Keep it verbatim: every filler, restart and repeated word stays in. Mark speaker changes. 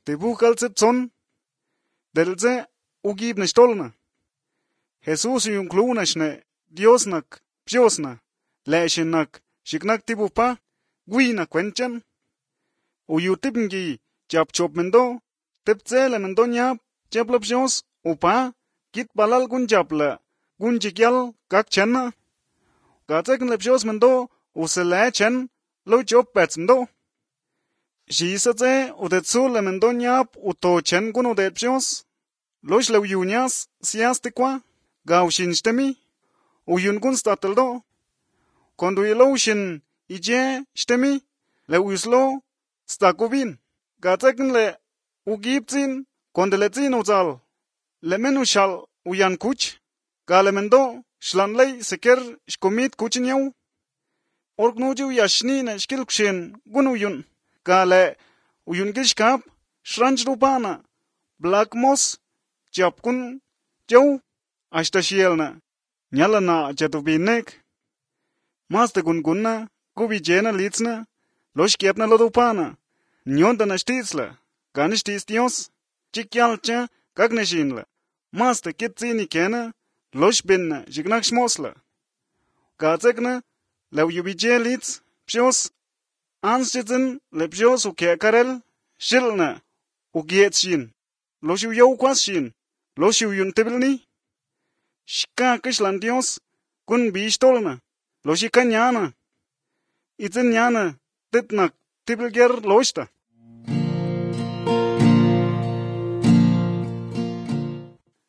Speaker 1: te bukal son, delze ugib ne stolna. Jesús yung klunashne, Diosnak, Psiosna, leeshinak, shiknak tibupa, gwina kwenchan. Uyu tipngi, chap chop mendo, tipzele mendo nyap, chapla Psios, upa, kit balal gun chapla, gun chikyal, kak channa. Gatsekn le Psios mendo, usele chen, lo chop pets mendo. Shisatze, udetsule mendo nyap, uto chen gun udet Psios. Losh le uyunyas, siastikwa, gaw shin uyun gun stateldo. Kondo ilo shin ije shtemi, le uyuslo stakubin. Gatsekn le ugibzin, kondeletzin uzal. Le menu shal uyan kuch, galemendo shlanley seker shkomit kuchinyaw. Orknuju yashnine shkilkshin gun uyun. Gale uyun gishkap, shranj rupana, black moss, chapkun jaw, ashta shielna. Nyalana chatubinek. Mas te gungunna, kubi jena litzna, losh kiepna lodupana. Nyonda na shtisla, gani shtis Dios, chikyalcha, kagneshinla. Mas te kitzini kena, losh binna, jignak shmosla. Gatsekna, lew yubije litz, Psios, anschitzen, le Psios uke karel, shilna, ugietshin, losh uyow kwasshin, losh uyun tibilni. Shka kishlan Dios, kun bishtolna, loshi kanyana. Itzen yana, titnak, tibilger loshta.